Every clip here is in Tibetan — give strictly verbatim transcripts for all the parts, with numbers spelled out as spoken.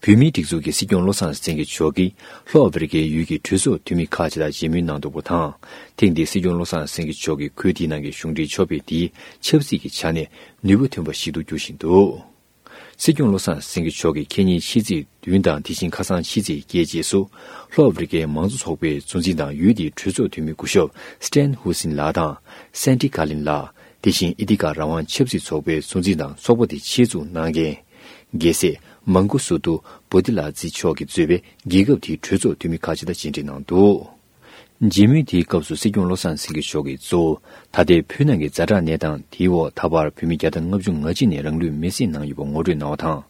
བོད་མིའི་སྒྲིག་འཛུགས་ཀྱི་སྲིད་སྐྱོང་བློ་བཟང་སེང་གེ་མཆོག་གིས་ལྷོ་ཨ་ཧྥེ་རི་ཁའི་ཡུལ་གྱི་གྲོས་ཚོགས་འཐུས་མི་ཁག་ཅིག་དང་མཇལ་མོལ་གནང་འདུག་པ་དང་། ཐེངས་འདིའི་སྲིད་སྐྱོང་བློ་བཟང་སེང་གེ་མཆོག་གི་ཁུལ་དེའི་ནང་གི་གཞུང་འབྲེལ་ཕྱོགས་ཕེབས་དེའི་ཆབ་སྲིད་ཀྱི་ཆ་ནས་ནུས་པ་ཐོན་པ་ཞིག་ཏུ་འགྱུར་བཞིན་འདུག། སྲིད་སྐྱོང་བློ་བཟང་སེང་གེ་མཆོག་གིས་ཁེ་ཉིན་ཕྱི་ཚེས་བདུན་དང་དེ་བཞིན་ཁ་སང་ཕྱི་ཚེས་བརྒྱད་རྗེས་སུ། ལྷོ་ཨ་ཧྥེ་རི་ཁའི་མང་གཙོ་ཚོགས་པའི་གཙོ་འཛིན་དང་ཡུལ་དེའི་གྲོས་ཚོགས་འཐུས་མི་སྐུ་ཞབས་སི་ཏན་ཧུ་སིན་ལགས་དང་། སན་ཏི་གྷ་ལིན་ལགས། དེ་བཞིན་ཨི་ཏི་ཀ་རང་དབང་ཆབ་སྲིད་ཚོགས་པའི་གཙོ་འཛིན་དང་ཚོགས་པ་དེ་ཆེད་འཛུགས་གནང་མཁན། རྒྱལ་སྲས་མང་གོ་སུ་ཏུ་བོ་དི་ལ་ཛི་མཆོག་གིས་གཙོས་པའི་རྒྱལ་ཁབ་དེའི་གྲོས་ཚོགས་འཐུས་མི་ཁག་ཅིག་དང་མཇལ་འཕྲད་གནང་འདུག། མཇལ་མོལ་དེའི་སྐབས་སུ་སྲིད་སྐྱོང་བློ་བཟང་སེང་གེ་མཆོག་གིས་གཙོ་བོ་ད་ལྟའི་བོད་ནང་གི་ཛ་དྲག་གནས་སྟངས་དེའི་འོག་ད་བར་བོད་མི་བརྒྱ་དང་ལྔ་བཅུ་ང་གཅིག་ནས་རང་ལུས་མེར་སྲེག་གནང་ཡོད་པ་ངོ་སྤྲོད་གནང་བ་དང་།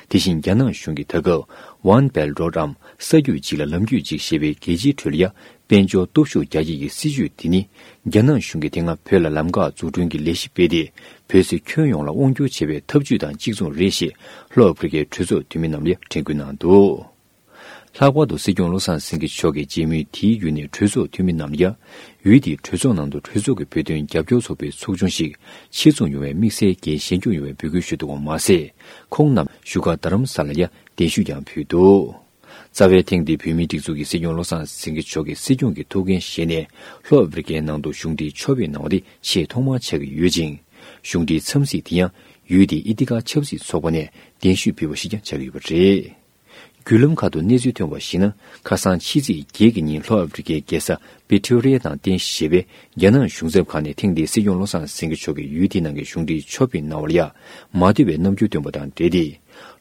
དེ་བཞིན་རྒྱ་ནག་གཞུང་གིས་ད་སྐབས་One Belt Road འམ་ས་རྒྱུད་གཅིག་ལ་ལམ་རྒྱུད་གཅིག་ཞེས་པའི་རྒྱལ་སྤྱིའི་ཁྲོད་ལ་ཡ་དཔལ་འབྱོར་སྟོབས་ཤུགས་རྒྱ་སྐྱེད་ཀྱི་སྲིད་ཇུས་དེ་ནི། རྒྱ་ནག་གཞུང་གིས་དེ་སྔ་བོད་ལ་ལམ་ཁ་འཛུགས་སྐྲུན་གྱི་ལས་གཞི་སྤེལ་ཏེ། བོད་ཚོས་ཁྱོན་ཡོངས་ལ་དབང་སྒྱུར་བྱེད་པའི་ཐབས་ཇུས་དང་གཅིག་མཚུངས་རེད་ཞེས་ལྷོ་ཨ་ཧྥེ་རི་ཁའི་གྲོས་ཚོགས་འཐུས་མི་རྣམས་ལ་ཡང་དྲན་སྐུལ་གནང་འདུག། ལྷག་པར་དུ་སྲིད་སྐྱོང་བློ་བཟང་སེང་གེ་མཆོག་གིས་མཇལ་མོལ་དེའི་བརྒྱུད་ནས་གྲོས་ཚོགས་འཐུས་མི་རྣམས་ལ་ཡ། ཡུལ་དེའི་གྲོས་ཚོགས་ནང་དུ་གྲོས་ཚོགས་ཀྱི་བོད་དོན་རྒྱབ་སྐྱོར་ཚོགས་པའི་ཚོགས་ཆུང་ཞིག་ཆེད་འཛུགས་ཡོང་བའི་དམིགས་བསལ་གྱི་ཞལ་འཇུག་ཡོང་བའི་འབོད་སྐུལ་ཞུས་འདུག་པ་མ་ཟད། ཁོང་རྣམས་བཞུགས་སྒར་རྡ་རམ་ས་ལར་ཡ་གདན་ཞུས་ཀྱང་ཕུལ་འདུག། རྩ་བའི་ཐེངས་འདིའི་བོད་མིའི་སྒྲིག་འཛུགས་ཀྱི་སྲིད་སྐྱོང་བློ་བཟང་སེང་གེ་མཆོག་གི་སྲིད་སྐྱོང་གི་ཐུགས་འགན་བཞེས་ནས་ལྷོ་ཨ་ཧྥེ་རི་ཁའི་ནང་དུ་གཞུང་འབྲེལ་ཕྱོགས་ཕེབས་གནང་བ་དེ་ཆེས་ཐོག་མར་ཆགས་ཀྱི་ཡོད་ཅིང་། གཞུང་འབྲེལ་འཚམས་གཟིགས་དེ་ཡང་ཡུལ་དེའི་ཨི་ཏི་ཀ་ཆབ་སྲིད་ཚོགས་པ་ནས་གདན་ཞུས་ཕུལ་བ་ཞིག་ཀྱང་ཆགས་ཀྱི་ཡོད་པ་རེད། བརྒྱུད་ལམ་ཁག་ཏུ་གནས་ཚུལ་ཐོན་པར་གཞིགས་ན། ཁ་སང་ཕྱི་ཚེས་བརྒྱད་ཀྱི་ཉིན་ལྷོ་ཨ་ཧྥེ་རི་ཁའི་རྒྱལ་ས་པི་ཊོ་རི་ཡ་དང་རྟེན་གཞི་བྱས་པའི་རྒྱ་ནག་གཞུང་ཚབ་ཁང་ནས་ཐེངས་འདིའི་སྲིད་སྐྱོང་བློ་བཟང་སེང་གེ་མཆོག་གིས་ཡུལ་དེའི་ནང་གི་གཞུང་འབྲེལ་ཕྱོགས་ཕེབས་གནང་བ་ལ་ཡ་མ་བསྡུ་བའི་རྣམ་འགྱུར་བཏོན་པ་དང་འབྲེལ་ཏེ།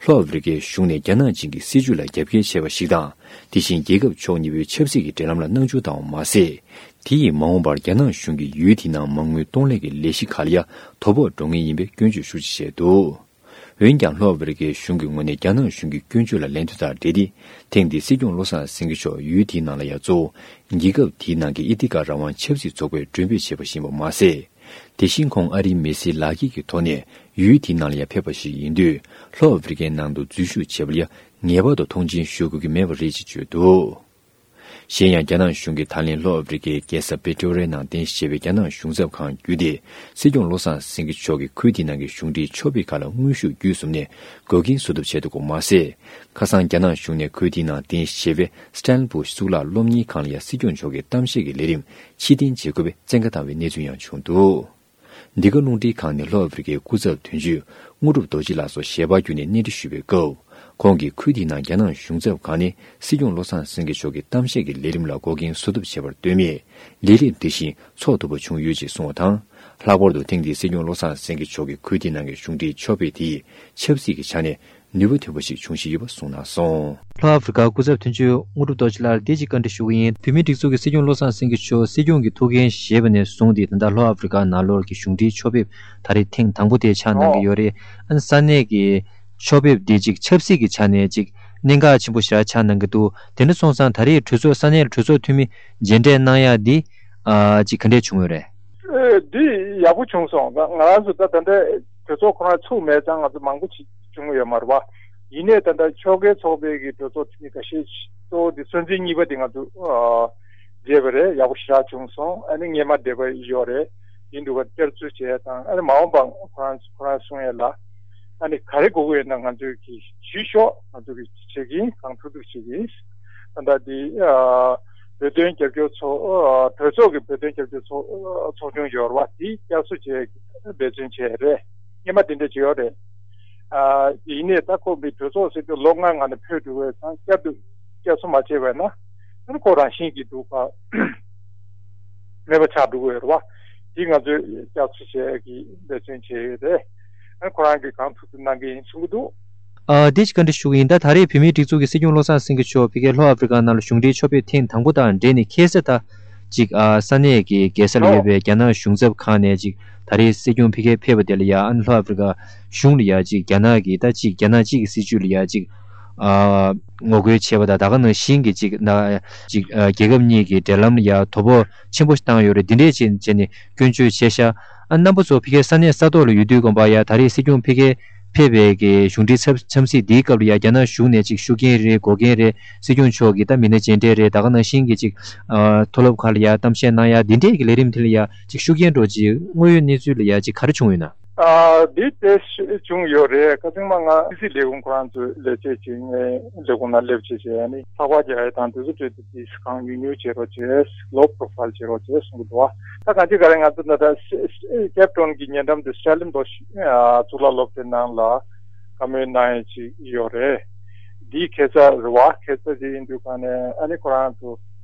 ལྷོ་ཨ་ཧྥེ་རི་ཁའི་གཞུང་ནས་རྒྱ་ནག་ཅན་གྱི་སྲིད་བྱུས་ལ་རྒྱབ་འགལ་བྱས་པ་ཞིག་དང་། དེ་བཞིན་རྒྱལ་ཁབ་ཕྱོགས་གཉིས་པོའི་ཆབ་སྲིད་ཀྱི་འབྲེལ་ལམ་ལ་སྣང་ཆུང་བཏང་བ་མ་ཟད། དེ་ཡིས་མ་འོངས་པར་རྒྱ་ནག་གཞུང་གིས་ཡུལ་དེའི་ནང་མ་དངུལ་གཏོང་ལེན་གྱི་ལས་གཞི་ཁག་ལ་ཡ་དོ་ཕོག་འགྲོ་ངེས་ཡིན་པའི་སྐྱོན་བརྗོད་ཤུགས་ཆེ་བྱས་འདུག། འོན་ཀྱང་ལྷོ་ཨ་ཧྥེ་རི་ཁའི་གཞུང་གི་ངོས་ནས་རྒྱ་ནག་གཞུང་གི་སྐྱོན་བརྗོད་ལ་ལན་ཐོན་སྟངས་འབྲེལ་ཏེ། ཐེངས་འདིའི་སྲིད་སྐྱོང་བློ་བཟང་སེང་གེ་མཆོག་ཡུལ་དེའི་ནང་ལ་ཡ་གཙོ་བོ་རྒྱལ་ཁབ་དེའི་ནང་གི་ཨི་ཏི་ཀ་རང་དབང་ཆབ་སྲིད་ཚོགས་པའི་མགྲོན་འབོད་བྱས་པ་ཞིག་ཡིན་པ་མ་ཟད། དེ་བཞིན་ཁོང་ཨ་རིའི་མི་སེར་ལག་འཁྱེར་གྱི་ཐོག་ནས་ཡུལ་དེའི་ནང་ལ་ཡ་ཕེབས་པ་ཞིག་ཡིན་དུས། ལྷོ་ཨ་ཧྥེ་རི་ཁའི་ནང་དུ་འཛུལ་ཞུགས་བྱས་པ་ལ་ཡ་ངེས་པར་དུ་མཐོང་ཆེན་ཞུ་དགོས་ཀྱི་མེད་པ་རེད་ཅེས་བརྗོད་འདུག། གཞན་ཡང་། རྒྱ་ནག་གཞུང་གིས་ད་ལན་ལྷོ་ཨ་ཧྥེ་རི་ཁའི་རྒྱལ་ས་པི་ཊོ་རི་ཡའི་ནང་རྟེན་གཞི་བྱས་པའི་རྒྱ་ནག་གཞུང་ཚབ་ཁང་བརྒྱུད་དེ། སྲིད་སྐྱོང་བློ་བཟང་སེང་གེ་མཆོག་གིས་ཁུལ་དེའི་ནང་གི་གཞུང་འབྲེལ་ཕྱོགས་ཕེབས་ཁག་ལ་དངོས་ཤུགས་བརྒྱུད་གསུམ་ནས་འགོག་རྐྱེན་བཟོ་ཐབས་བྱས་འདུག་པ་མ་ཟད། ཁ་སང་རྒྱ་ནག་གཞུང་ནས་ཁུལ་དེའི་ནང་རྟེན་གཞི་བྱས་པའི་སི་ཊན་བྷོ་ཤི་གཙུག་ལག་སློབ་གཉེར་ཁང་ལ་ཡང་སྲིད་སྐྱོང་མཆོག་གི་གཏམ་བཤད་ཀྱི་ལས་རིམ་ཕྱིར་འཐེན་བྱེད་དགོས་པའི་བཙན་བཀའ་བཏང་བའི་གནས་ཚུལ་ཡང་བྱུང་འདུག། འདི་ག་རླུང་འཕྲིན་ཁང་ནས་ལྷོ་ཨ་ཧྥེ་རི་ཁའི་སྐུ་ཚབ་དོན་གཅོད་དངོས་གྲུབ་རྡོ་རྗེ་ལགས་སུ་ཞལ་པར་བརྒྱུད་ནས་གནས་འདྲི་ཞུས་པའི་སྐབས། ཁོང་གིས་ཁུལ་དེའི་ནང་རྒྱ་ནག་གཞུང་ཚབ་ཁང་ནས་སྲིད་སྐྱོང་བློ་བཟང་སེང་གེ་མཆོག་གི་གཏམ་བཤད་ཀྱི་ལས་རིམ་ལ་འགོག་རྐྱེན་བཟོ་ཐབས་བྱས་པར་ལྟོས་མེད། ལས་རིམ་དེ་བཞིན་འཚོགས་ཐུབ་པ་བྱུང་ཡོད་ཅེས་གསུངས་པ་དང་། ལྷག་པར་དུ་ཐེངས་འདིའི་སྲིད་སྐྱོང་བློ་བཟང་སེང་གེ་མཆོག་གིས་ཁུལ་དེའི་ནང་གི་གཞུང་འབྲེལ་ཕྱོགས་ཕེབས་དེས་ཆབ་སྲིད་ཀྱི་ཆ་ནས་ནུས་པ་ཐོན་པ་ཞིག་བྱུང་བཞིན་ཡོད་པ་གསུངས་གནང་སོང་། ལྷོ་ཨ་ཧྥེ་རི་ཁ་སྐུ་ཚབ་དོན་གཅོད་དངོས་གྲུབ་རྡོ་རྗེ་ལགས་ལ་འདི་གཅིག་བཀའ་འདྲི་ཞུ་གི་ཡིན། བོད་མིའི་སྒྲིག་འཛུགས་ཀྱི་སྲིད་སྐྱོང་བློ་བཟང་སེང་གེ་མཆོག་སྲིད་སྐྱོང་གི་ཐུགས་འགན་བཞེས་པ་ནས་བཟུང་སྟེ། ད་ལྟ་ལྷོ་ཨ་ཧྥེ་རི་ཁ་ནང་ལོགས་ཀྱི་གཞུང་འབྲེལ་ཕྱོགས་ཕེབས་ད་རེས་ཐེངས་དང་པོ་དེ་ཆགས་གནང་གི་ཡོད་རེད། ཨ་ནི་ས་གནས་ཀྱི་ཕྱོགས་ཕེབས་འདི་ཅིག་ཆབ་སྲིད་ཀྱི་ཆ་ནས་ཅིག་གནད་འགག་ཆེན་པོ་ཞེ་དྲག་ཆགས་གནང་གི་འདུག། དེ་འདྲ་སོང་ཙང་ད་རེས་གྲོས་ཚོགས་ས་གནས་ལ་གྲོས་ཚོགས་འཐུས་མི་མཇལ་འཕྲད་གནང་ཡ་འདི་ཨ་ཅིག་ག་འདྲས་བྱུང་ཡོད་རེད། ཨེ། འདི་ཡག་པོ་བྱུང་སོང་། ད་ང་རང་ཚོ་ད་ད་ལྟ་གྲོས་ཚོགས་ཁོ་རང་ཚུགས་མེད་ཙང་ང་ཚོ་མང་པོ་ཅིག་བྱུང་ཡོད་མ་རེད་བ། ཡིན་ནའི་ད་ལྟ་ཕྱོགས་འགལ་ཚོགས་པའི་གི་གྲོས་ཚོགས་འཐུས་མི་ཁ་ཤས་གཙོ་བོ་འདི་སྲོལ་འཛིན་གཉིས་པ་འདི་ང་ཚོ་ཨ་མཇལ་བ་རེད། ཡག་པོ་ཞེ་དྲག་བྱུང་སོང་། ཨ་ནི་སྔས་མ་འདས་པ་ཡོད་རེད། ཡིན་འདུག་ག་བསྐྱར་བཅོས་བྱས་དང་། ཨ་ནི་མ་འོངས་པ་ཁོ་རང་ཁོ་རང་གསུང་ཡས་ལ། ཨ་ནི་ག་རེ་དགོས་ཀྱི་ཡོད་ན་ང་ཚོས་ཀྱིས་ཞུས་ཤོག། ང་ཚོ་གིས་བྱེད་ཀྱི་ཡིན། གང་ཐུབ་ཐུབ་བྱེད་ཀྱི་ཡིན། ད་ལྟ་འདི་ཨ་བོད་དོན་རྒྱབ་སྐྱོར་ཚོགས་ཨ་གྲོས་ཚོགས་ཀྱི་བོད་དོན་རྒྱབ་སྐྱོར་ཚོགས་ཨ་ཚོགས་ཆུང་ཡོད་རེད་བ། དེ་བསྐྱར་གསོ་བྱས་འབད་བརྩོན་བྱས་རེད། སྔས་མ་དེ་འདྲ་བྱས་ཡོད་རེད། ཨ་ཡིན་ནའི་ད་ཁོ་མི་གྲོས་ཚོགས་ཟེར་དུས་ལོ་ལྔ་ནང་ནས་འཕོས་འགྲོ་བས་ཙང་། བསྐྱར་དུ་བསྐྱར་གསོ་མ་བྱས་པས་ན། ཨ་ནི་ཁོ་རང་བཞིན་གྱིས་འདུག་ག་མེད་པ་ཆགས་འགྲོ་གི་ཡོད་རེད་བ། དེ་ང་ཚོས་བསྐྱར་གསོ་བྱེད་ཀྱི་འབད་བརྩོན་བྱས་ཡོད་རེད། ཨ་ནི་ཁོ་རང་གིས་གང་ཐུབ་ཐུབ་གནང་གི་ཡིན་གསུང་གི་འདུག། ཨ་འདི་ཅིག་བཀའ་འདྲི་ཞུ་གི་ཡིན། ད་ད་རེས་བོད་མིའི་སྒྲིག་འཛུགས་ཀྱི་སྲིད་སྐྱོང་བློ་བཟང་སེང་གེ་མཆོག་ཕ་གིའི་ལྷོ་ཨ་ཧྥེ་རི་ཁ་ནང་ལ་གཞུང་འབྲེལ་ཕྱོགས་ཕེབས་ཐེངས་དང་པོ་དང་འབྲེལ་ནས་ཁ་སང་ད་ཅིག་ཨ་ས་གནས་ཀྱི་རྒྱལ་ས་ལ་ཡོད་པའི་རྒྱ་ནག་གཞུང་ཚབ་ཁང་ནས་ཅིག་ད་རེས་སྲིད་སྐྱོང་ཕ་གིར་ཕེབས་པ་དེ་ལ་ཡ། ཨ་ནི་ལྷོ་ཨ་ཧྥེ་རི་ཁ་གཞུང་ལ་ཡ་ཅིག་རྒྱ་ནག་གི་ད་ཅིག་རྒྱ་ནག་གཅིག་གི་སྲིད་བྱུས་ལ་ཡ་ཅིག་ཨ་ངོ་རྒོལ་བྱས་པ་དང་། ད་ག་ནང་བཞིན་གྱི་ཅིག་ན་ཅིག་ཨ་རྒྱལ་ཁབ་གཉིས་ཀྱི་འབྲེལ་ལམ་ལ་ཡ་དོ་ཕོག་ཆེན་པོ་ཞིག་བཏང་ཡོད་རེད། འདི་འདྲས་བྱས་བྱས་ནས་སྐྱོན་བརྗོད་བྱས་ཤག། ཨ་རྣམ་པ་ཚོ་ཕ་གིའི་ས་གནས་ས་ཐོག་ལ་ཡོད་དུས་ཙམ་པ་ཡ། ད་རེས་སྲིད་སྐྱོང་ཕ་གིར་ཕེབས་པའི་གི་གཞུང་འབྲེལ་འཚམས་འཚམས་གཟིགས་འདིའི་སྐབས་ལ་ཡ། རྒྱ་ནག་གཞུང་ནས་ཅིག་ཤུགས་རྐྱེན་རེད། འགོག་རྐྱེན་རེད། སྲིད་སྐྱོང་མཆོག་གིས་ད་མི་སྣ་མཇལ་འཕྲད་རེད། ད་ག་ནང་བཞིན་གྱི་ཅིག་ཨ་མཐོ་སློབ་ཁག་ལ་ཡ་གཏམ་བཤད་གནང་ཡ། འདི་འདྲས་ཀྱི་ལས་རིམ་དེ་ལ་ཡ་ཅིག་ཤུགས་རྐྱེན་འདྲ་བོ་ཅིག་དངོས་ཡོད་གནས་ཚུལ་ལ་ཡ་ཅིག་ག་རེ་བྱུང་ཡོད་ན། ཨ་འདི་དེ་བྱུང་ཡོད་རེད། ཁ་སང་མ་ང་སི་སི་ལས་ཁུངས་ཁོ་རང་ཚོའི་ལས་བྱེད་ཅིག་ངའི་ལས་ཁུངས་ནང་སླེབས་བྱས་བྱས་ནི་ཚགས་པར་རྒྱག་ཡ་དང་དེ་ཚོ་སྤྲད་དེ་དེ་གང་ཉུང་ཉུང་བྱེད་རོགས་བྱས། ལོ་པོ་རོ་ཕའིལ་བྱེད་རོགས་བྱས་གསུང་གི་འདུག་བ། ད་གང་ཅི་ག་རེ་ང་ཚོ་ད་ལྟ་ཀེབ་ཊའུན་གྱི་ཉེ་འགྲམ་དུ་སི་ཊར་ལིན་པོ་གཙུག་ལག་སློབ་གྲྭའི་ནང་ལ་བཀའ་མོལ་གནང་ཡ་ཅིག་ཡོད་རེད། འདིའི་ཁ་སང་རེད་བ། ཁ་སང་དེ་ཡིན་དུས་ག་ནས་ཨ་ནི་ཁོ་རང་ཚོ་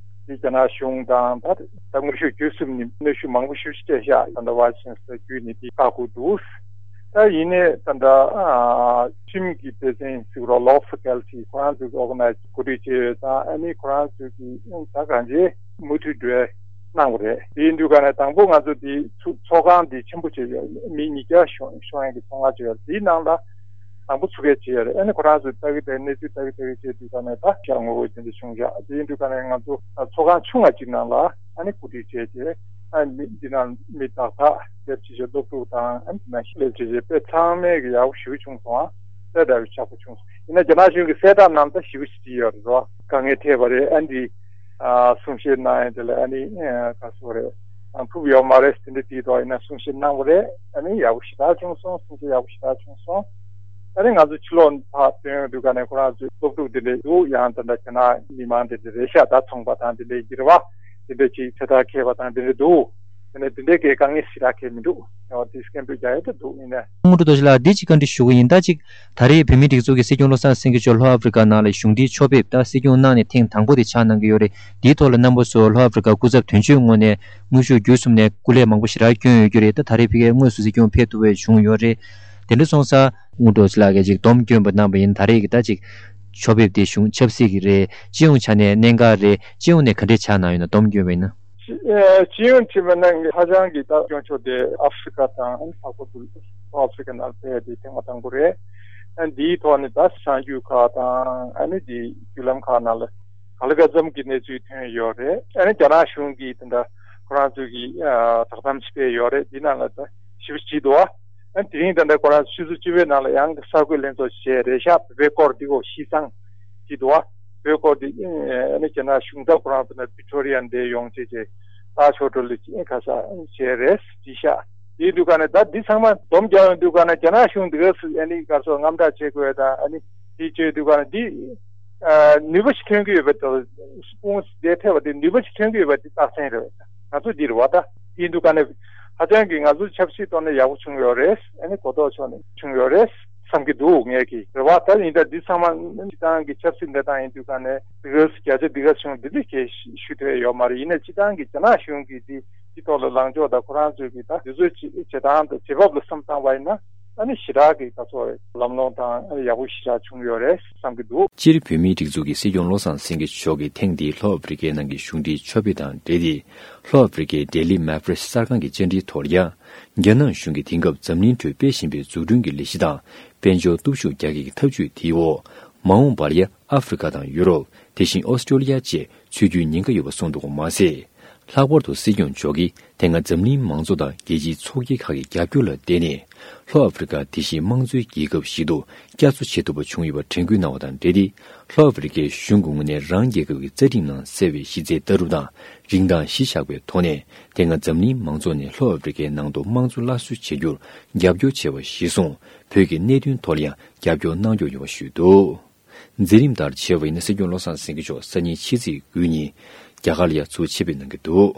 འདི་རྒྱ་ནག་གཞུང་དང་ད་ད་དངོས་ཤུགས་བརྒྱུད་གསུམ་ནས་གནོན་ཤུགས་མང་པོ་ཞེ་པོ་ཅིག་སྤྲད་ཤག་ད་ལྟ་ཝའི་སི་ཆན་སི་ལར་བརྒྱུད་ནས་འདི་བཀག་དགོས་འདུག་ད་ཡིན་ནའི་ད་ལྟ་ཨ་ཁྲིམས་ཀྱི་སྡེ་ཚན་ཟེར་རོགས། ལོ་ཕ་ཀལ་ཊི་ཁོ་རང་ཚོས་ཨོར་ག་ནའི་ཛི་གོ་སྒྲིག་བྱས་ཡོད་ཙང་ཨ་ནི་ཁོ་རང་ཚོས་ཀྱི་ད་གང་ཅི་མུ་མཐུད་འགྲོ་གནང་བ་རེད། དེ་ཡིན་དུས་ག་ནས་དང་པོ་ང་ཚོ་འདི་ཚུགས་ཚོགས་ཁང་འདི་ཆེན་པོ་བྱས་ཡོད། མི་ཉིས་བརྒྱ་ཤོང་ཤོང་ཡ་གི་ཚོགས་ཁང་བྱས་ཡོད། དེའི་ནང་ལ་དང་པོ་ཚུགས་ཡ་བྱས་ཡོད་རེད། ཨ་ནི་ཁོ་རང་ཚོས་ལྟ་གི་ལྟ་གནས་ཚུལ་ལྟ་གི་ལྟ་གི་བྱས་དུས་ག་ནས་ད་ཤག་ངོ་བོ་དེ་འདྲ་བྱུང་བཞག་དེ་ཡིན་དུས་ག་ནས་ང་ཚོ་ཚོགས་ཁང་ཆུང་བ་ཅིག་ནང་ལ་ཨ་ནི་གོ་སྒྲིག་བྱས་ཏེ་ཨ་ནི་འདི་ནང་མི་ཏག་ཏག་དེབ་ཅིག་བྱས་སློབ་ཕྲུག་དང་ཨ་ནི་དེ་ནང་སླེབས་བྱས་བྱས་དཔེ་ཚང་མས་གི་ཡག་པོ་ཞེ་པོ་བྱུང་སོང་། ཨ་གསལ་བསྒྲགས་པའི་ཆག་པོ་བྱུང་སོང་། ཡིན་ན་རྒྱ་ནག་གཞུང་གི་གསལ་བསྒྲགས་ནང་ད་ཞེ་པོ་ཞིག་བྲིས་ཡོད་རེད་བ། དཀའ་ངལ་འཕྲད་པ་རེད། ཨ་འདི་ཨ་གསུང་བཤད་གནང་ཡ་དེ་ལ་ཨ་ནི་ཨ་ག་སོ་རེད། ཨ་ཕུབ་ཡོད་མ་རེད་དེ་འདྲ་བྲིས་འདུག་ཡིན་ན་གསུང་བཤད་གནང་བ་རེད། ཨ་ནི་ཡག་པོ་ཞེ་དྲག་བྱུང་སོང་། གསུང་བཤད་ཡག་པོ་ཞེ་དྲག་བྱུང་སོང་། ཨ་ནི་ང་ཚོ་ཕྱི་ལོགས་ཕར་ཐོན་ཡོང་དུས་ག་ནས་ཁོ་རང་ཚོའི་སློབ་ཕྲུག་དེ་འདྲ་འདུག་ཡང་ད་ལྟ་རྒྱ་ནག་མི་མང་དེ་འདྲ་རེད་ཤག་ད་ཚོང་པ་དང་དེ་འདྲའི་འགྱུར་བ་དེ་འདྲ་ཅིག་ཚེ་ཐར་འཁྱེར་བ་དང་དེ་འདྲ་འདུག་དེ་ནས་དེ་འདྲའི་གི་དཀའ་ངལ་ཞེ་དྲག་འཁྱེར་མི་འདུག་ཡང་དེ་སྐད་འབོད་རྒྱག་ཡ་དེ་འདུག་ཡིན་ནའི། དངོས་གྲུབ་རྡོ་རྗེ་ལགས་འདི་གཅིག་བཀའ་འདྲི་ཞུ་གི་ཡིན། ད་གཅིག་ད་རེས་བོད་མིའི་སྒྲིག་འཛུགས་ཀྱི་སྲིད་སྐྱོང་བློ་བཟང་སེང་གེ་མཆོག་ལྷོ་ཨ་ཧྥེ་རི་ཀ་ནང་ལ་གཞུང་འབྲེལ་ཕྱོགས་ཕེབས་ད་སྲིད་སྐྱོང་གནང་ནས་ཐེངས་དང་པོ་དེ་ཆགས་གནང་གི་ཡོད་རེད། འདིའི་ཐོག་ལ་རྣམ་པ་ཚོ་ལྷོ་ཨ་ཧྥེ་རི་ཀ་སྐུ་ཚབ་དོན་གཅོད་ངོས་ནས་དངོས་ཤུགས་བརྒྱུད་གསུམ་ནས་སྐུ་ལས་མང་པོ་ཞེ་དྲག་བསྐྱོན་ཡོད་རྒྱུ་རེད། ད་ད་རེས་ཕ་གིར་དངོས་སུ་སྲིད་སྐྱོང་ཕེབས་ཐུབ་པ་བྱུང་ཡོད་རེད། དེ་འདྲ་སོང་ཙང་དངོས་གྲུབ་རྡོ་རྗེ་ལགས་ཀྱིས་ཅིག་སྡོམ་སྐྱོན་པ་གནང་པ་ཡིན། ད་རེས་ཀྱི་ད་ཅིག་ཕྱོགས་ཕེབས་དེ་གཞུང་ཆབ་སྲིད་ཀྱི་རེད། སྤྱི་ཡོངས་ཆ་ནས་གནད་འགག་རེད། སྤྱི་ཡོངས་ནས་ག་འདྲས་ཆགས་གནང་ཡོད་ན་སྡོམ་སྐྱོན་པ་ཡིན་ན། སྤྱི་ཡོངས་ཀྱི་མི་སྣ་ཧ་ཅང་གི་ད་སྐྱོན་ཆོག་དེ་ཨ་ཧྥེ་རི་ཀ་དང་ལྷག་པར་དུ་ལྷོ་ཨ་ཧྥེ་རི་ཀ་ནང་ཕེབས་དེ་ཐེངས་མ་དང་པོ་རེད། ཨ་འདིའི་ཐོག་ནས་ད་གསར་འགྱུར་ཁག་དང་ཨ་ནི་དེ་བརྒྱུད་ལམ་ཁག་ནང་ལ་ག་ལ་ག་འཚམ་གྱི་གནས་ཚུལ་ཐོན་ཡོད་རེད། ཨ་ནི་རྒྱ་ནག་གཞུང་གིས་དེ་འདྲ་ཁོ་རང་ཚོ་གི་བསྒྲགས་གཏམ་ཞིག་སྤེལ་ཡོད་རེད། འདི་ནང་ལ་ད་ཞིབ་ཅིག་འདུག་ཨ་དེ་རིང་ད་ལྟ་ཁོ་རང་ཆུ་ཚོད་བཅུ་པའི་ནང་ལ་ཡང་གསར་འགོད་ལྷན་ཚོགས་བྱས་རེད་ཤག་བོད་པའི་སྐོར་འདི་གོ་ཤིས་ཚང་གི་འདུག་ཨ། བོད་སྐོར་འདི་ཨ་ནི་རྒྱ་ནག་གཞུང་ཚབ་ཁོ་རང་ཚོ་ནས་བི་ཀྲོ་རི་ཡ་འདིར་ཡོང་བྱས་བྱས་ད་ཆོ་འགྲུལ་ལ་ཁ་ས་བྱས་རེད་བྲིས་ཤག་དེའི་འདུག་ག་ནས་ད་འདི་ཚང་མ་སྡོམ་རྒྱག་ཡོང་དུས་ག་ནས་རྒྱ་ནག་གཞུང་འདི་ག་སུ་ཨ་ནི་ག་སོ་དངངས་སྐྲག་བྱེད་དགོས་དང་ཨ་ནི་དེ་བྱས་དུས་ག་ནས་འདི་ནུས་པ་ཞིག་ཐོན་གྱི་ཡོད་པ་དང་དཔུང་སྡེ་ཐེ་བ་དེ་ནུས་པ་ཞིག་ཐོན་གྱི་ཡོད་པ་དེ་རྟགས་མཚན་རེད། ང་ཚོ་འདིར་བ་ད་ཡིན་འདུག་ག་ནས་ཧ་ཅང་གི་ང་ཚོ་ཆབ་སྲིད་ཐོག་ནས་ཡག་པོ་བྱུང་ཡོད་རེད། ཨ་ནི་གོ་རྟོགས་ཕྱོགས་ནས་བྱུང་ཡོད་རེད་བསམ་གྱི་འདུག་ངས་ཀྱི་རེད་བ། ད་ཡིན་ད་འདི་ཚང་མ་སྤྱི་བཏང་གི་ཆབ་སྲིད་གནས་སྟངས་ཡིན་དུས་ག་ནས་འདི་ག་བརྒྱ་ཆ་འདི་ག་བྱུང་འདི་འདི་གས་ཞུ་ཐུབ་ཡོད་མ་རེད། ཡིན་ནའི་སྤྱི་བཏང་གི་རྒྱ་ནག་གཞུང་གིས་འདི་འདི་ཐོག་ལ་ལངས་ཕྱོགས་དང་ཁོ་རང་ཚོས་ཀྱི་ད་འདི་ཚོའི་བྱེད་སྟངས་དང་བྱེད་བབ་ལ་བསམ་བཏང་བ་ཡིན་ན། ཨ་ནི་ཞེ་དྲག་གི་ད་ཚོ་ལམ་ལྷོང་དང་ཡག་པོ་ཞེ་དྲག་བྱུང་ཡོད་རེད་བསམ་གྱི་འདུག་སྤྱིར་བོད་མིའི་སྒྲིག་འཛུགས་ཀྱི་སྲིད་སྐྱོང་བློ་བཟང་སེང་གེ་མཆོག་གིས་ཐེངས་འདིའི་ལྷོ་ཨ་ཧྥེ་རི་ཀའི་ནང་གི་གཞུང་འབྲེལ་ཕྱོགས་ཕེབས་དང་འབྲེལ་ཏེ། ལྷོ་ཨ་ཧྥེ་རི་ཀའི་ལྡི་ལི་མེ་པྲེ་སི་གསར་ཁང་གི་བཅར་འདྲིའི་ཐོག་ལ་ཡང་། རྒྱ་ནག་གཞུང་གིས་དེང་སྐབས་འཛམ་གླིང་ཁྲོད་སྤེལ་བཞིན་པའི་འཛུགས་སྐྲུན་གྱི་ལས་གཞི་དང་། དཔལ་འབྱོར་སྟོབས་ཤུགས་རྒྱ་སྐྱེད་ཀྱི་འཐབ་ཇུས་དེའི་འོག་མ་འོངས་པར་ཡང་ཨ་ཧྥེ་རི་ཀ་དང་ཡུ་རོབ། དེ་བཞིན་ཨོ་སི་ཀྲོ་ལི་ཡ་བཅས་ཚུད་རྒྱུའི་ཉེན་ཁ་ཡོད་པ་གསུངས་འདུག་མ་ཟད། ལྷག་པར་དུ་སྲིད་སྐྱོང་མཆོག་གིས་དེ་སྔ་འཛམ་གླིང་མང་ཚོགས་དང་རྒྱལ་སྤྱིའི་ཚོགས་སྐྱིད་ཁག་གི་རྒྱབ་སྐྱོར་ལ་བརྟེན་ནས། ལྷོ་ཨ་ཧྥེ་རི་ཀ་དེ་བཞིན་དམངས་གཙོའི་རྒྱལ་ཁབ་ཞིག་ཏུ་བསྐྱར་གསོ་བྱེད་ཐུབ་པ་བྱུང་ཡོད་པར་དྲན་སྐུལ་གནང་བ་དང་འབྲེལ་ཏེ། ལྷོ་ཨ་ཧྥེ་རི་ཀའི་གཞུང་གི་ངོས་ནས་རང་རྒྱལ་ཁབ་ཀྱི་རྩ་ཁྲིམས་ནང་གསལ་བའི་གཞི་རྩའི་ལྟ་གྲུབ་དང་། རིན་ཐང་གཞི་བཞག་པའི་ཐོག་ནས། དེ་སྔ་འཛམ་གླིང་མང་ཚོགས་ནས་ལྷོ་ཨ་ཧྥེ་རི་ཀའི་ནང་དུ་དམངས་གཙོ་སླར་གསོ་བྱེད་རྒྱུར་རྒྱབ་སྐྱོར་བྱས་པ་གཞིར་བཟུང་། བོད་ཀྱི་གནད་དོན་ཐོག་ལ་ཡང་རྒྱབ་སྐྱོར་གནང་སྐྱོང་ཡོད་པ་ཞུས་འདུག་མཛད་རིམ་ལྟར་བྱས་པ་ཡིན་ན། སྲིད་སྐྱོང་བློ་བཟང་སེང་གེ་མཆོག་སང་ཉིན་ཕྱི་ཚེས་དགུ་ཉིན་རྒྱ་གར་ལ་ཡང་ཚུར་ཆེད་ཕེབས་གནང་གི་འདུག